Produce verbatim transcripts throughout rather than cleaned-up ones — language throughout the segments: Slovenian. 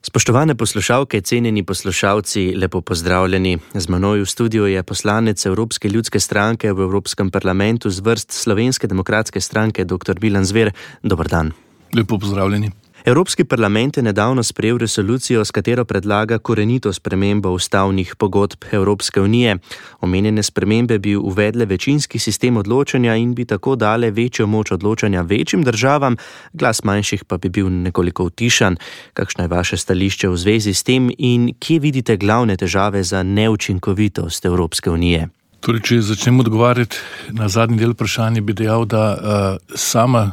Spoštovane poslušalke, cenjeni poslušalci, lepo pozdravljeni. Z menoj v studiu je poslanec Evropske ljudske stranke v Evropskem parlamentu z vrst Slovenske demokratske stranke dr. Milan Zver. Dober dan. Lepo pozdravljeni. Evropski parlament je nedavno sprejel resolucijo, s katero predlaga korenito spremembo ustavnih pogodb Evropske unije. Omenjene spremembe bi uvedle večinski sistem odločanja in bi tako dale večjo moč odločanja večjim državam, glas manjših pa bi bil nekoliko utišan. Kakšno je vaše stališče v zvezi s tem in kje vidite glavne težave za neučinkovitost Evropske unije? Torej, če začnem odgovarjati na zadnji del vprašanja, bi dejal, da uh, sama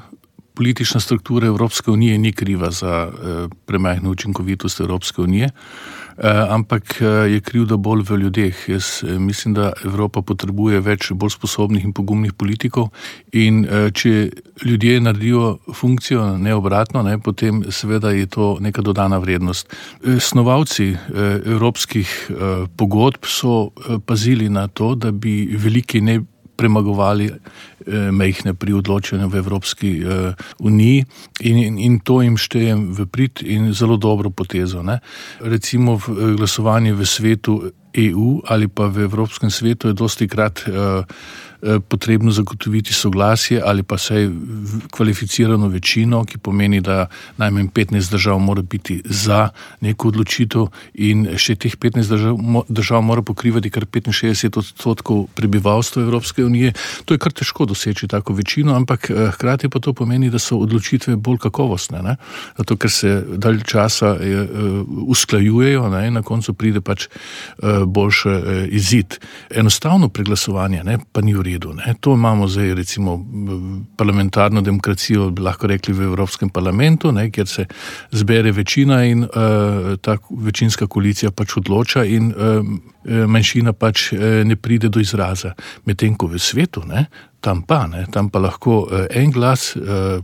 politična struktura Evropske unije ni kriva za eh, premajhno učinkovitost Evropske unije, eh, ampak eh, je krivda bolj v ljudeh. Jaz eh, mislim, da Evropa potrebuje več bolj sposobnih in pogumnih politikov in eh, če ljudje naredijo funkcijo, ne obratno, ne, potem seveda je to neka dodana vrednost. Eh, snovalci eh, evropskih eh, pogodb so eh, pazili na to, da bi veliki ne premagovali eh, mejhne pri odločanju v Evropski eh, uniji in, in, in to jim štejem v prid in zelo dobro potezo. Ne. Recimo v glasovanju v svetu E U ali pa v Evropskem svetu je dosti krat eh, potrebno zagotoviti soglasje ali pa saj kvalificirano večino, ki pomeni, da najmanj petnajst držav mora biti za neko odločitev in še teh petnajst držav, držav mora pokrivati kar petinšestdeset odstotkov prebivalstva Evropske unije. To je kar težko doseči tako večino, ampak hkrati pa to pomeni, da so odločitve bolj kakovostne, ne? Zato ker se dalj časa je, usklajujejo, ne? In na koncu pride pač boljši izid. Enostavno preglasovanje, ne? Pa ni v redu. Ne. To imamo zdaj recimo parlamentarno demokracijo, bi lahko rekli v Evropskem parlamentu, ne, kjer se zbere večina in uh, ta večinska koalicija pač odloča in uh, manjšina pač uh, ne pride do izraza. Medtem ko v svetu, ne, tam pa, ne, tam pa lahko uh, en glas uh,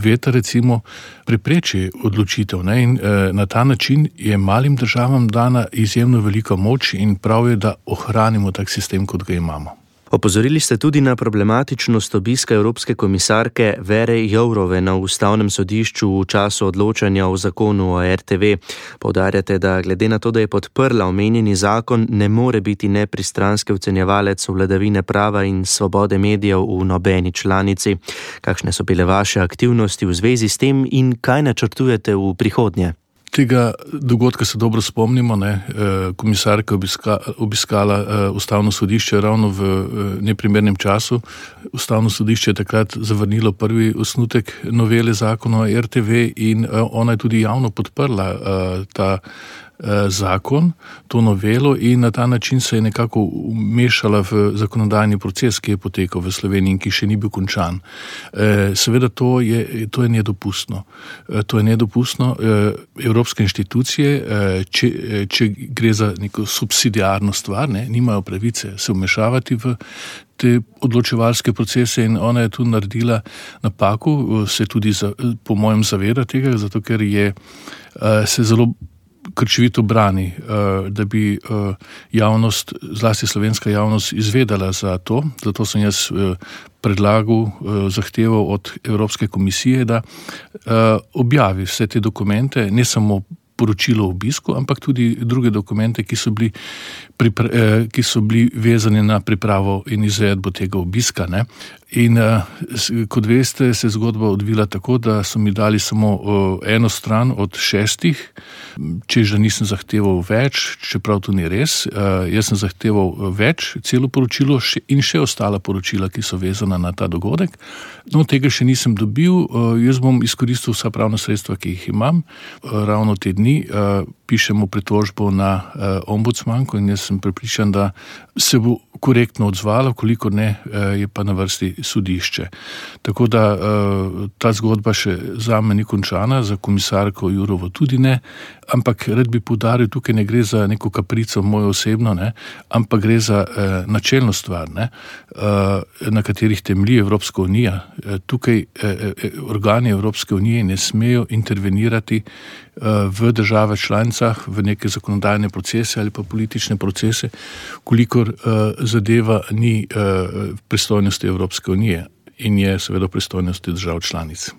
veta recimo prepreči odločitev, ne, in uh, na ta način je malim državam dana izjemno velika moč in prav je, da ohranimo tak sistem, kot ga imamo. Opozorili ste tudi na problematičnost obiska Evropske komisarke Vere Jourove na Ustavnem sodišču v času odločanja o zakonu o R T V. Poudarjate, da glede na to, da je podprla omenjeni zakon, ne more biti nepristranski ocenjevalec vladavine prava in svobode medijev v nobeni članici. Kakšne so bile vaše aktivnosti v zvezi s tem in kaj načrtujete v prihodnje? Tega dogodka se dobro spomnimo, ne. Komisarka je obiska, obiskala Ustavno sodišče ravno v neprimernem času. Ustavno sodišče je takrat zavrnilo prvi osnutek novele zakona o R T V in ona je tudi javno podprla ta zakon, to novelo in na ta način se je nekako umešala v zakonodajni proces, ki je potekal v Sloveniji in ki še ni bil končan. Seveda to je, to je nedopustno. To je nedopustno. Evropske inštitucije, če, če gre za neko subsidiarno stvar, ne, nimajo pravice se vmešavati v te odločevalske procese in ona je tu naredila napako, se tudi za, po mojem zaveda tega, zato ker je se zelo krčevito brani, da bi javnost, zlasti slovenska javnost, izvedela za to. Zato sem jaz predlagal, zahteval od Evropske komisije, da objavi vse te dokumente, ne samo poročilo o obisku, ampak tudi druge dokumente, ki so bili, pripra- ki so bili vezani na pripravo in izvedbo tega obiska. Ne. In kot veste, se je zgodba odvila tako, da so mi dali samo eno stran od šestih, čež da nisem zahteval več, čeprav to ni res. Jaz sem zahteval več, celo poročilo in še ostala poročila, ki so vezana na ta dogodek. No, tega še nisem dobil. Jaz bom izkoristil vsa pravna sredstva, ki jih imam. Ravno te dni pišemo pritožbo na ombudsmanko in jaz sem prepričan, da se bo korektno odzvala, kolikor ne, je pa na vrsti sodišče. Tako da ta zgodba še zame ni končana, za komisarko Jourovo tudi ne, ampak rad bi poudaril, tukaj ne gre za neko kaprico mojo osebno, ne, ampak gre za načelno stvar, ne, na katerih temelji Evropska unija. Tukaj organi Evropske unije ne smejo intervenirati v državah članicah, v neke zakonodajne procese ali pa politične procese, kolikor zadeva ni pristojnosti Evropske unije in je seveda pristojnosti držav članic.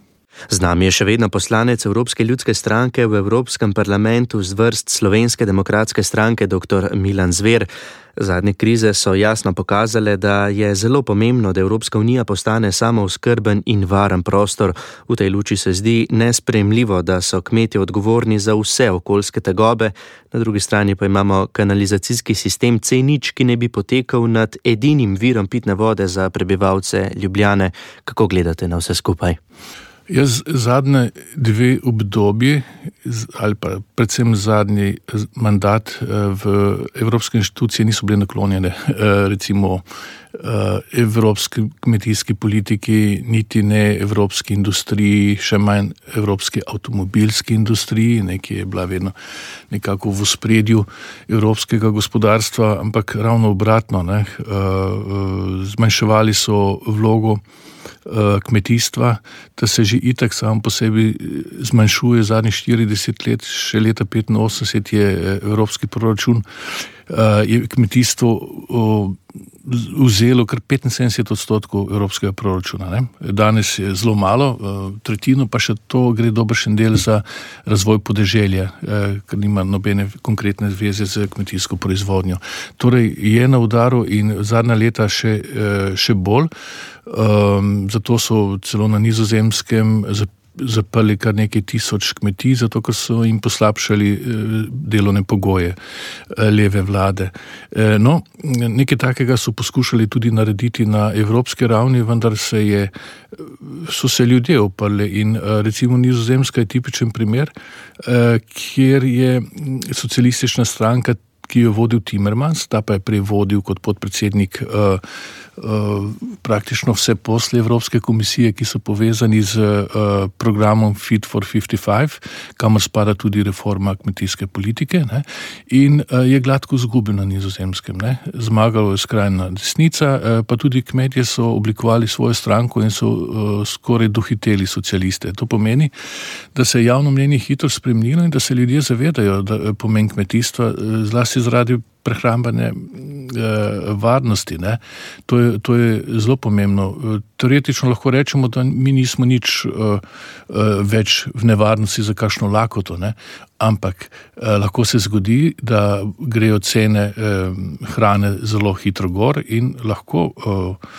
Z nami je še vedno poslanec Evropske ljudske stranke v Evropskem parlamentu z vrst Slovenske demokratske stranke dr. Milan Zver. Zadnje krize so jasno pokazale, da je zelo pomembno, da Evropska unija postane samooskrben in varen prostor. V tej luči se zdi nesprejemljivo, da so kmetje odgovorni za vse okoljske tegobe, na drugi strani pa imamo kanalizacijski sistem C nič, ki ne bi potekal nad edinim virom pitne vode za prebivalce Ljubljane. Kako gledate na vse skupaj? Jaz zadnje dve obdobji, ali pa predvsem zadnji mandat v evropske inštitucije niso bile naklonjene, recimo evropski kmetijski politiki, niti ne evropski industriji, še manj evropski avtomobilski industriji, ne, ki je bila vedno nekako v ospredju evropskega gospodarstva, ampak ravno obratno, ne, zmanjševali so vlogo kmetijstva, da se že itak sam po sebi zmanjšuje zadnjih štirideset let, še leta petinosemdeset je evropski proračun, je kmetijstvo vzelo kar petinsedemdeset odstotkov evropskega proračuna. Ne? Danes je zelo malo, tretjino pa še to gre dobršen del za razvoj podeželja, ker nima nobene konkretne zveze z kmetijsko proizvodnjo. Torej je na udaru in zadnja leta še, še bolj, zato so celo na Nizozemskem zaprli kar nekaj tisoč kmetij, zato ker so jim poslabšali delovne pogoje leve vlade. No, nekaj takega so poskušali tudi narediti na evropski ravni, vendar se je, so se ljudje oprli in recimo Nizozemska je tipičen primer, kjer je socialistična stranka, ki jo vodil Timmermans, ta pa je prej vodil kot podpredsednik uh, uh, praktično vse posle Evropske komisije, ki so povezani z uh, programom Fit for petdeset pet, kamor spada tudi reforma kmetijske politike, ne, in uh, je gladko izgubil na Nizozemskem. Ne. Zmagalo je skrajna desnica, uh, pa tudi kmetje so oblikovali svojo stranko in so uh, skoraj dohiteli socialiste. To pomeni, da se je javno mnenje hitro spremenilo in da se ljudje zavedajo, da pomen kmetijstva uh, zlasti zaradi prehrambene eh, varnosti. Ne. To je, to je zelo pomembno. Teoretično lahko rečemo, da mi nismo nič eh, več v nevarnosti za kakšno lakoto, ne. Ampak eh, lahko se zgodi, da grejo cene eh, hrane zelo hitro gor in lahko eh,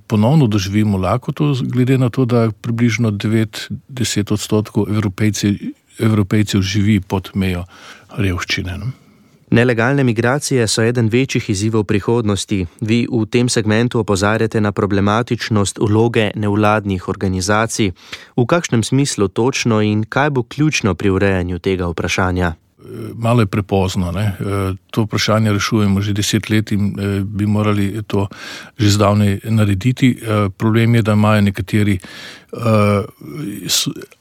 ponovno doživimo lakoto, glede na to, da približno devet do deset odstotkov Evropejcev, Evropejcev živi pod mejo revščine. Ne. Nelegalne migracije so eden večjih izzivov prihodnosti. Vi v tem segmentu opozarjate na problematičnost vloge nevladnih organizacij. V kakšnem smislu točno in kaj bo ključno pri urejanju tega vprašanja? Malo je prepozno. Ne? To vprašanje rešujemo že deset let in bi morali to že zdavnaj narediti. Problem je, da imajo nekateri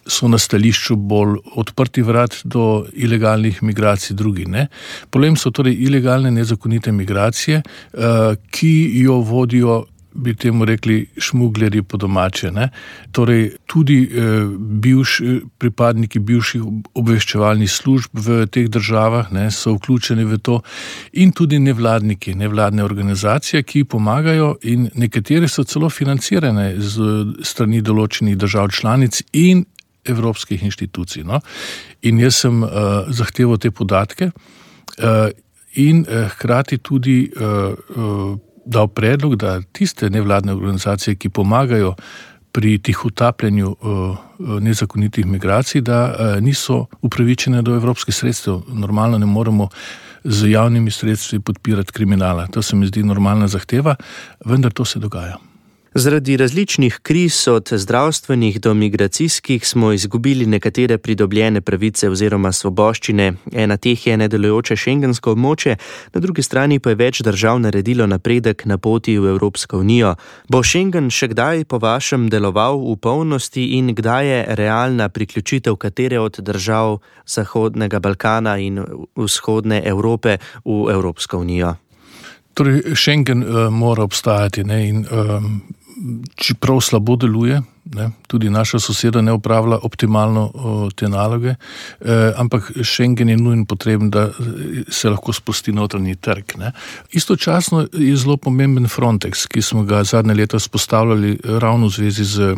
so na stališču bolj odprti vrat do ilegalnih migracij, drugi ne. Problem so torej ilegalne nezakonite migracije, ki jo vodijo, bi temu rekli, šmuglerji po domače. Ne? Torej, tudi eh, bivš, pripadniki bivših obveščevalnih služb v teh državah ne, so vključeni v to in tudi nevladniki, nevladne organizacije, ki pomagajo in nekatere so celo financirane z strani določenih držav članic in evropskih inštitucij. No? In jaz sem uh, zahteval te podatke uh, in uh, hkrati tudi uh, uh, dal predlog, da tiste nevladne organizacije, ki pomagajo pri tihotapljenju uh, nezakonitih migracij, da uh, niso upravičene do evropskih sredstev. Normalno ne moremo z javnimi sredstvi podpirati kriminala. To se mi zdi normalna zahteva, vendar to se dogaja. Zaradi različnih kriz od zdravstvenih do migracijskih smo izgubili nekatere pridobljene pravice oziroma svoboščine. Ena teh je nedelujoče šengensko območje, na drugi strani pa je več držav naredilo napredek na poti v Evropsko unijo. Bo Schengen še kdaj po vašem deloval v polnosti in kdaj je realna priključitev katere od držav Zahodnega Balkana in vzhodne Evrope v Evropsko unijo? Torej, Schengen uh, mora obstajati, ne, in um, čeprav slabo deluje, ne, tudi naša soseda ne upravlja optimalno o, te naloge, eh, ampak Schengen je nujen potreben, da se lahko sprosti notranji trg. Ne. Istočasno je zelo pomemben Frontex, ki smo ga zadnje leta spostavljali ravno v zvezi z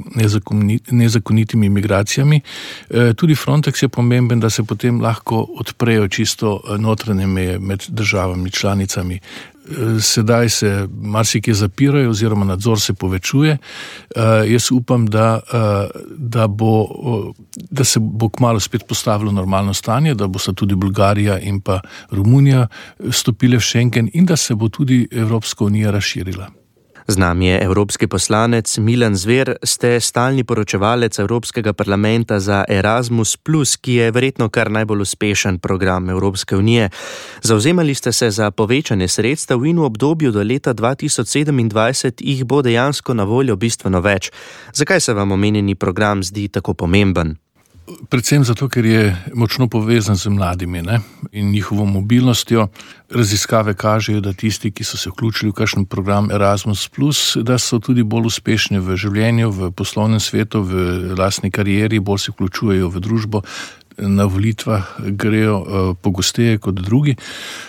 nezakonitimi migracijami. Eh, tudi Frontex je pomemben, da se potem lahko odprejo čisto notranje meje med državami članicami. Sedaj se marsikje zapirajo oziroma nadzor se povečuje. Uh, jaz upam, da, uh, da, bo, uh, da se bo kmalu spet postavilo normalno stanje, da bo sta tudi Bolgarija in pa Romunija stopile v Schengen in da se bo tudi Evropska unija razširila. Z nami je evropski poslanec Milan Zver, ste stalni poročevalec Evropskega parlamenta za Erasmus plus, ki je verjetno kar najbolj uspešen program Evropske unije. Zavzemali ste se za povečanje sredstev in v obdobju do leta dva tisoč sedemindvajset jih bo dejansko na voljo bistveno več. Zakaj se vam omenjeni program zdi tako pomemben? Predvsem zato, ker je močno povezan z mladimi, ne, in njihovo mobilnostjo. Raziskave kažejo, da tisti, ki so se vključili v kakšen program Erasmus plus, da so tudi bolj uspešni v življenju, v poslovnem svetu, v lastni karieri, bolj se vključujejo v družbo, na volitvah grejo uh, pogosteje kot drugi.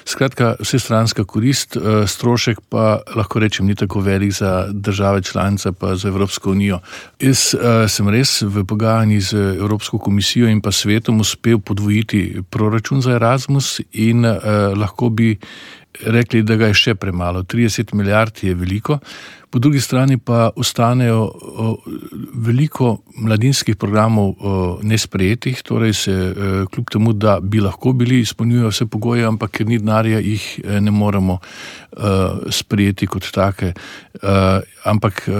Skratka, vsestranska korist, uh, strošek pa lahko rečem ni tako velik za države članice pa za Evropsko unijo. Jaz uh, sem res v pogajanji z Evropsko komisijo in pa svetom uspel podvojiti proračun za Erasmus in uh, lahko bi rekli, da ga je še premalo. trideset milijard je veliko. Po drugi strani pa ostanejo o, veliko mladinskih programov o, nesprejetih, torej se e, kljub temu, da bi lahko bili, izpolnjujejo vse pogoje, ampak ker ni denarja, jih e, ne moremo e, sprejeti kot take. E, ampak e,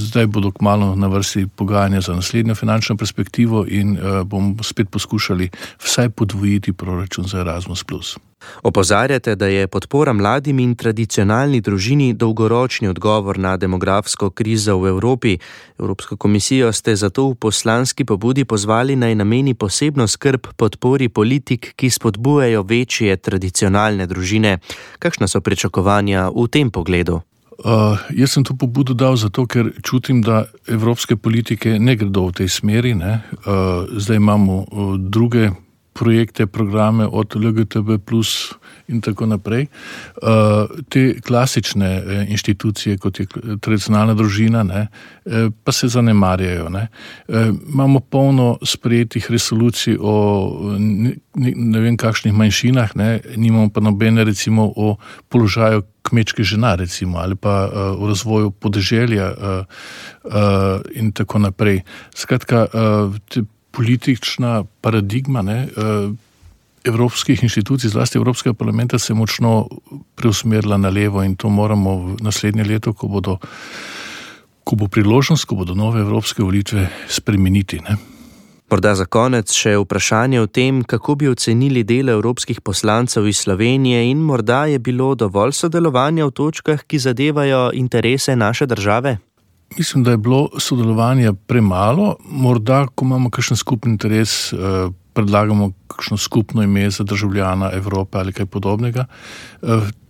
zdaj bodo kmalu na vrsti pogajanja za naslednjo finančno perspektivo in e, bomo spet poskušali vsaj podvojiti proračun za Erasmus plus. Opozarjate, da je podpora mladim in tradicionalni družini dolgoročni odgovor na demografsko krizo v Evropi. Evropsko komisijo ste zato v poslanski pobudi pozvali naj nameni posebno skrb podpori politik, ki spodbujajo večje tradicionalne družine. Kakšna so pričakovanja v tem pogledu? Uh, jaz sem to pobudo dal zato, ker čutim, da evropske politike ne gredo v tej smeri. Ne? Uh, zdaj imamo uh, druge projekte, programe od L G B T plus in tako naprej. Uh, te klasične eh, inštitucije, kot je tradicionalna družina, ne, eh, pa se zanemarjajo. Ne. Eh, imamo polno sprejetih resolucij o ne, ne vem kakšnih manjšinah, ne, nimamo pa nobene recimo o položaju kmečke žena recimo, ali pa uh, o razvoju podeželja uh, uh, in tako naprej. Skratka, uh, te politična paradigma ne, evropskih inštitucij, zlasti Evropskega parlamenta, se je močno preusmerila na levo in to moramo v naslednje leto, ko, bodo, ko bo priložnost, ko bodo nove evropske volitve, spremeniti. Ne. Morda za konec še vprašanje o tem, kako bi ocenili delo evropskih poslancev iz Slovenije in morda je bilo dovolj sodelovanja v točkah, ki zadevajo interese naše države? Mislim, da je bilo sodelovanja premalo. Morda, ko imamo kakšen skupni interes, predlagamo kakšno skupno ime za državljana Evrope ali kaj podobnega.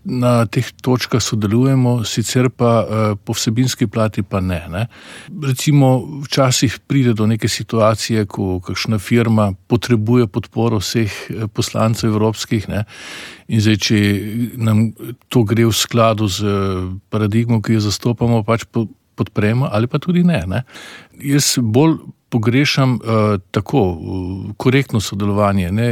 Na teh točkah sodelujemo, sicer pa po vsebinski plati pa ne. ne. Recimo, včasih pride do neke situacije, ko kakšna firma potrebuje podporo vseh poslancev evropskih, ne. In zdaj, če nam to gre v skladu z paradigmo, ki jo zastopamo, pač po podpremo ali pa tudi ne. ne. Jaz bolj pogrešam uh, tako uh, korektno sodelovanje, ne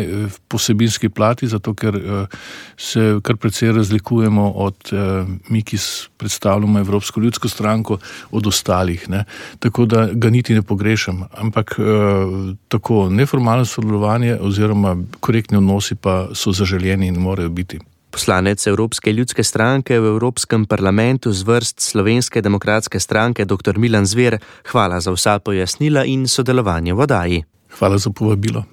po vsebinski plati, zato ker uh, se kar precej razlikujemo od uh, mi, ki predstavljamo Evropsko ljudsko stranko, od ostalih. Ne. Tako da ga niti ne pogrešam, ampak uh, tako neformalno sodelovanje oziroma korektni odnosi pa so zaželjeni in morajo biti. Poslanec Evropske ljudske stranke v Evropskem parlamentu z vrst Slovenske demokratske stranke dr. Milan Zver, hvala za vsa pojasnila in sodelovanje v oddaji. Hvala za povabilo.